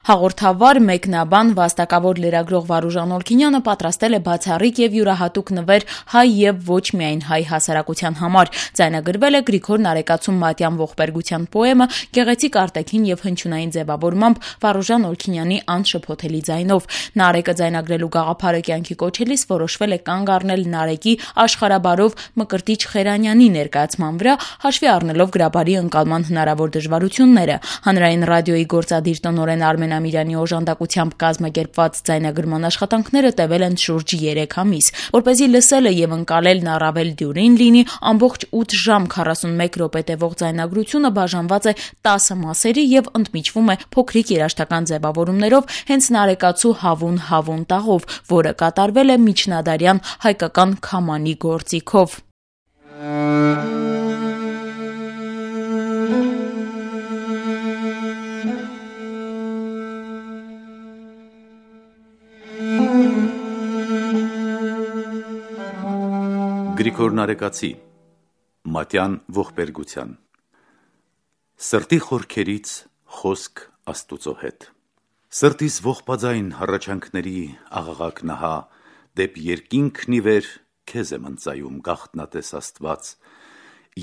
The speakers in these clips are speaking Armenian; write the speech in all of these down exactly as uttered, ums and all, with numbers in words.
Հաղորդավար, մեկնաբան, վաստակավոր լրագրող Վարուժան Օլքինյանը պատրաստել է բացառիկ եւ յուրահատուկ նվեր հայ եւ ոչ միայն հայ հասարակության համար։ Ձայնագրվել է Գրիգոր Նարեկացու Մատյան ողբերգության պոեմը գեղեցիկ արտաքին եւ հնչյունային ձևավորմամբ Վարուժան Օլքինյանի անշփոթելի ձայնով։ Նարեկը ձայնագրելու գաղափարը կյանքի կոչելիս որոշվել է կանգ առնել Նարեկի աշխարհաբարով Մկրտիչ Խերանյանի ներկայացման վրա, հաշվի առնելով գրաբարի ընկալման հնարավոր դժվարությունները։ Հանրային ռադիոյի գործադիր տնօրեն Արմեն Ամիրյանի օժանդակությամբ կազմակերպված ձայնագրման աշխատանքները տևել են շուրջ երեք ամիս։ Որպեսզի լսելը եւ ընկալելն առավել դյուրին լինի, ամբողջ ութ ժամ քառասունմեկ րոպե տևող ձայնագրությունը բաժանված է տասը մասերի եւ ընդմիջվում է փոքրիկ երաժշտական ձևավորումներով հենց Նարեկացու հավուն հավուն տաղով, որը կատարվել է միջնադարյան հայկական քամանի գործիքով։ Գրիգոր Նարեկացի Մատյան ողբերգության Սրտի խորքերից խոսք Աստուծո հետ Սրտիս ողբաձայն հառաչանքների աղաղակ նահա դեպ երկինքն ի վեր քեզ եմ ընծայում գաղտնատես Աստված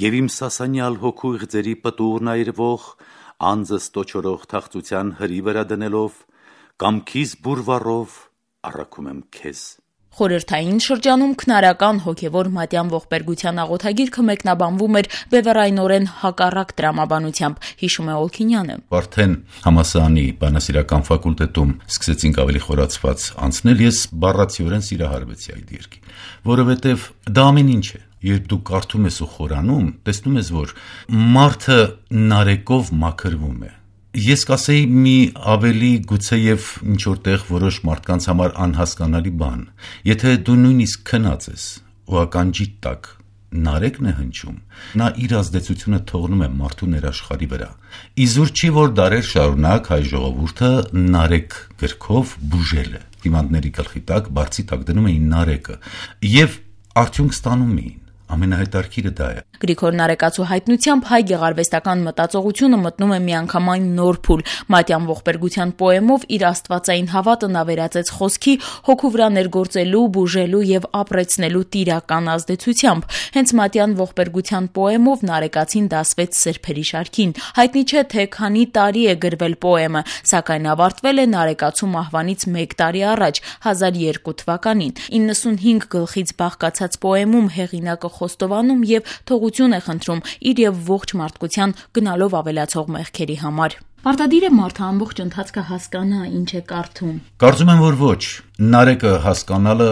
եւ իմ սասանյալ հոգու ղձերի պտուղն այրվող անձս տոչորող թախծության հրի վրա դնելով կամքիս բուրվառով առաքում եմ քեզ Խորհրդային շրջանում քնարական հոգևոր մատյան ողբերգության աղոթագիրքը մեկնաբանվում էր բևեռայնորեն հակառակ տրամաբանությամբ, հիշում է Օլքինյանը։ Արդեն համալսարանի բանասիրական ֆակուլտետում սկսեցինք ավելի խորացված անցնել, ես բառացիորեն սիրահարվեցի այդ երկին, որովհետև դա ամեն ինչ է։ Երբ դու կարդում ես ու խորանում, տեսնում ես, որ մարդը նարեկով մաքրվում է։ Ես կասեի մի ավելի գուցեև ինչ-որտեղ որոշ մարդկանց համար անհասկանալի բան, եթե դու նույնիսկ քնած ես ու ականջիդ տակ նարեկն է հնչում, նա իր ազդեցությունը թողնում է մարդու ներաշխարհի վրա։ Իզուր չի, որ դարեր շարունակ հայ ժողովուրդը նարեկ գրքով բուժել է։ Հիվանդների գլխի տակ, բարձի տակ դնում էին նարեկը եւ արդյունք ստանում էին։ Ամենահետաքրքիրը դա է։ Գրիգոր Նարեկացու հայտնությամբ հայ գեղարվեստական մտածողությունը մտնում է միանգամայն նոր փուլ։ Մատյան ողբերգության պոեմով իր աստվածային հավատը նա վերածեց խոսքի, հոգու վրա ներգործելու, բուժելու եւ ապրեցնելու տիրական ազդեցությամբ։ Հենց Մատյան ողբերգության պոեմով Նարեկացին դասվեց սրբերի շարքին։ Հայտնի չէ, թե քանի տարի է գրվել պոեմը, սակայն ավարտվել է Նարեկացու մահվանից մեկ տարի առաջ, հազար երկու թվականին։ իննսունհինգ գլխից բաղկացած պոեմում հեղինակը խոստովանում եւ թողություն է խնդրում իր եւ ողջ մարդկության գնալով ավելացող մեղքերի համար։ Պարտադիր է մարդը ամբողջ ընթացքը հասկանա, ինչ է կարդում։ Կարծում եմ, որ ոչ։ Նարեկը հասկանալը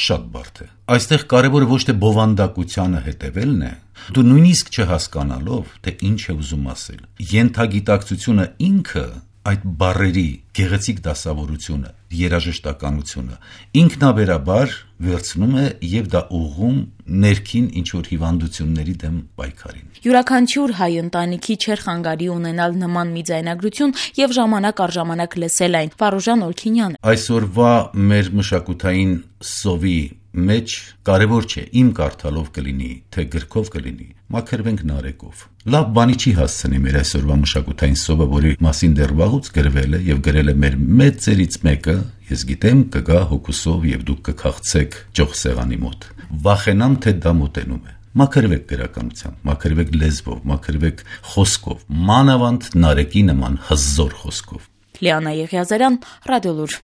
շատ բարդ է։ Այստեղ կարևորը ոչ թե բովանդակությանը հետևելն է, դու նույնիսկ չհասկանալով, թե ինչ է ուզում ասել։ Ենթագիտակցությունը ինքը այդ բառերի գեղեցիկ դասավորությունը, երաժշտականությունը ինքնաբերաբար վերցնում է եւ դա ուղղում ներքին ինչ-որ հիվանդությունների դեմ պայքարին։ Յուրաքանչյուր հայ ընտանիքի չէր խանգարի ունենալ նման մի ձայնագրություն եւ ժամանակ առ ժամանակ լսել այն։ Վարուժան Օլքինյանը Այսօրվա մեր մշակութային սովի մեջ կարևոր չէ իմ կարդալով կլինի, թե գրքով կլինի, մաքրվենք նարեկով։ Լավ բանի չի հասցնի մեր այսօրվա մշակութային սովը, որի մասին դեռ վաղուց գրվել է եւ գրել է մեր մեծերից մեկը, ես գիտեմ, կգա հոգուսով եւ դուք կքաղցեք ճոխսեղանի մոտ։ Վախենամ, թե դա մոտենում է։ Մաքրվեք գրականությամբ, մաքրվեք լեզվով, մաքրվեք խոսքով, մանավանդ նարեկի նման հզոր խոսքով։ Լիանա Եղիազարյան, Ռադիոլուր։